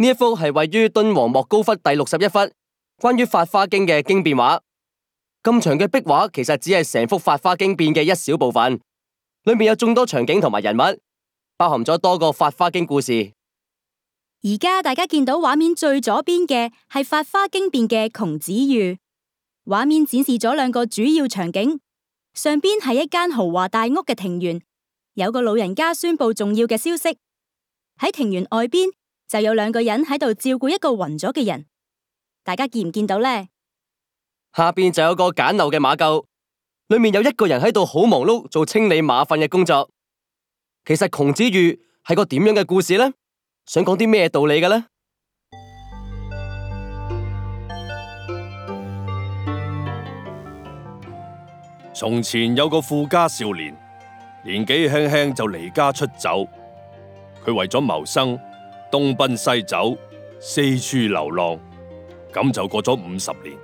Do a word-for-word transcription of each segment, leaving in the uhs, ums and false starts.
呢一幅係位於敦煌莫高窟第六十一幅，關於《法華經》嘅經變畫。咁長嘅壁畫其實只係成幅《法華經》變嘅一小部分，裏面有眾多場景同埋人物，包含咗多個《法華經》故事。而家大家見到畫面最左邊嘅係《法華經》變嘅窮子喻，畫面展示咗兩個主要場景，上邊係一間豪華大屋嘅庭園，有個老人家宣布重要嘅消息。喺庭園外邊就有兩個人喺度照顧一個暈咗嘅人，大家見唔見到呢？下邊就有個簡陋嘅馬廄，裏面有一個人喺度好忙碌做清理馬糞嘅工作。其實窮子喻係個點樣嘅故事呢？想講啲咩道理嘅呢？從前有個富家少年，年紀輕輕就離家出走。佢為咗謀生，東奔西走，四處流浪，咁就過咗五十年。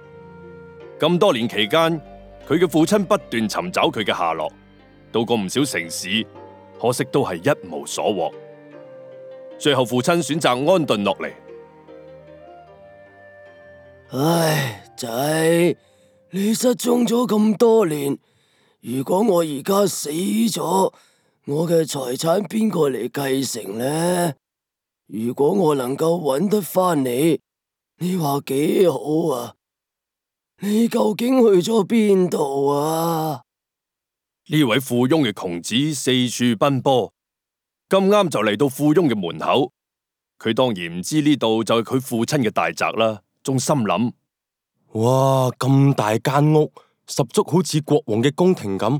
咁多年期間，佢嘅父親不斷尋找佢嘅下落，到過唔少城市，可惜都係一無所獲。最後父親選擇安頓落嚟。唉，仔，你失蹤咗咁多年，如果我而家死咗，我嘅財產邊個嚟繼承呢？如果我能夠揾得返你，你話幾好啊？你究竟去咗邊度啊？呢位富翁嘅窮子四處奔波，咁啱就嚟到富翁嘅門口。佢當然唔知呢度就係佢父親嘅大宅啦，仲心諗：哇，咁大間屋，十足好似國王嘅宮廷咁。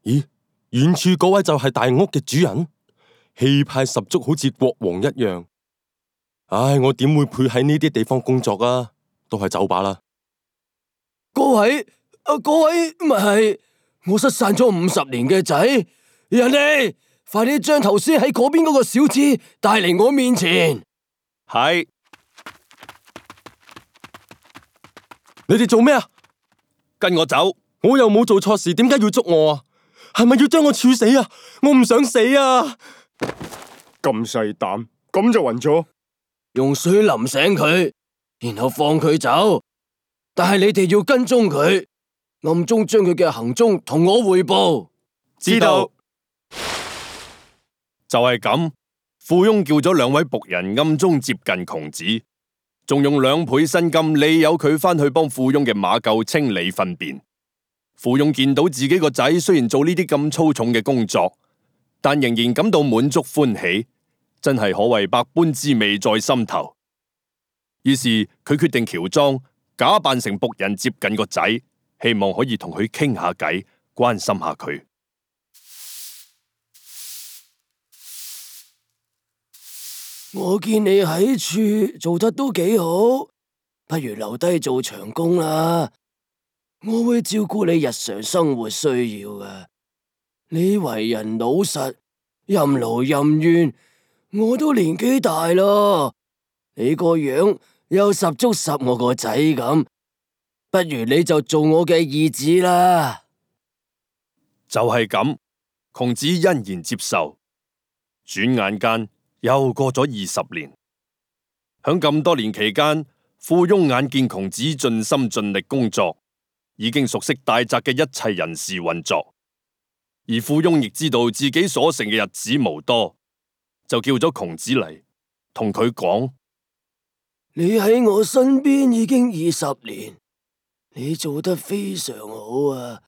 咦，遠處嗰位就係大屋嘅主人，氣派十足，好似國王一樣。唉，我點會配喺呢啲地方工作啊？都係走吧啦。嗰位，啊，嗰位咪係我失散咗五十年嘅仔，人哋快啲將頭先喺嗰邊嗰個小子帶嚟我面前。係，你哋做咩啊？跟我走。我又冇做錯事，點解要捉我啊？係咪要將我處死啊？我唔想死啊！咁細膽，咁就暈咗。用水淋醒佢，然後放佢走。但係你哋要跟蹤佢，暗中將佢嘅行蹤同我匯報。知道。就係咁，富翁叫咗兩位僕人暗中接近窮子，仲用兩倍薪金利誘佢返去幫富翁嘅馬廄清理糞便。富翁見到自己個仔雖然做呢啲咁粗重嘅工作，但仍然感到滿足歡喜，真係可謂百般滋味在心頭。於是佢決定喬裝假扮成僕人接近個仔，希望可以同佢傾下偈，關心下佢。我見你喺處做得都幾好，不如留低做長工啦。我會照顧你日常生活需要嘅。你為人老實，任勞任怨，我都年紀大咯，你個樣又十足十我個仔咁，不如你就做我嘅義子啦。就係咁，窮子欣然接受。轉眼間又過咗二十年，響咁多年期間，富翁眼見窮子盡心盡力工作，已經熟悉大宅嘅一切人事運作，而富翁亦知道自己所剩嘅日子無多，就叫咗窮子嚟，同佢講：你喺我身邊已經二十年，你做得非常好啊！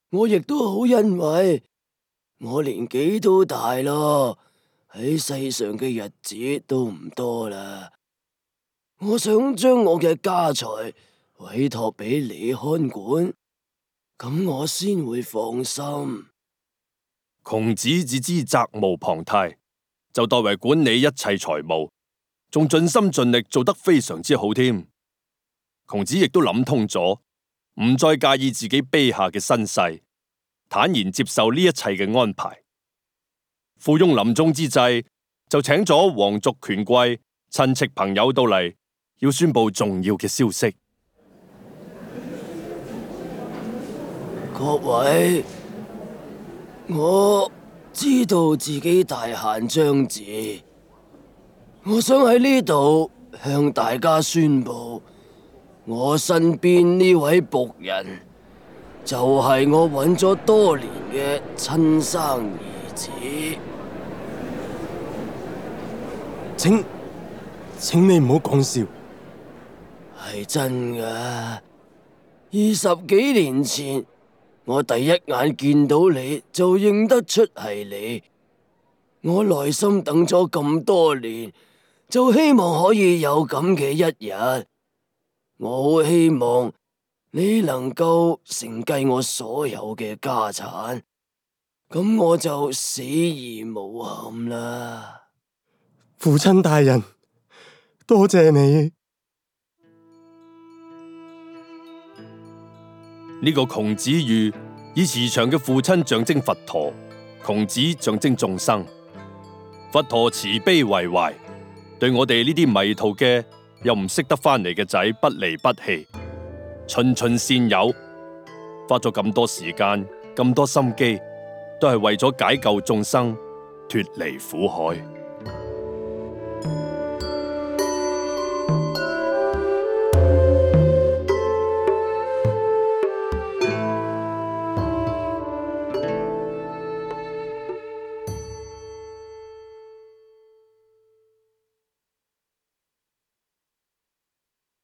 我亦都好欣慰，我年紀都大咯，喺世上嘅日子都唔多啦。我想將我嘅家財委託俾你看管，咁我先會放心。窮子只知責無旁貸，就代為管理一切財務，仲盡心盡力做得非常之好添。窮子亦都諗通咗，唔再介意自己卑下嘅身世，坦然接受呢一切嘅安排。富翁臨終之際，就請咗皇族權貴、親戚朋友到嚟，要宣布重要嘅消息。各位，我知道自己大限將至，我想喺呢度向大家宣布，我身邊呢位僕人就係我揾咗多年嘅親生兒子。請，請你唔好講笑。係真噶，二十幾年前我第一眼見到你就認得出係你。我耐心等咗咁多年，就希望可以有咁嘅一日。我好希望你能夠承繼我所有嘅家產，咁我就死而無憾啦。父親大人，多謝你。呢個窮子喻以慈祥嘅父親象徵佛陀，窮子象徵眾生。佛陀慈悲為懷，對我哋呢啲迷途嘅又唔識得翻嚟嘅仔不離不棄，循循善誘，花咗咁多時間、咁多心機，都係為咗解救眾生，脫離苦海。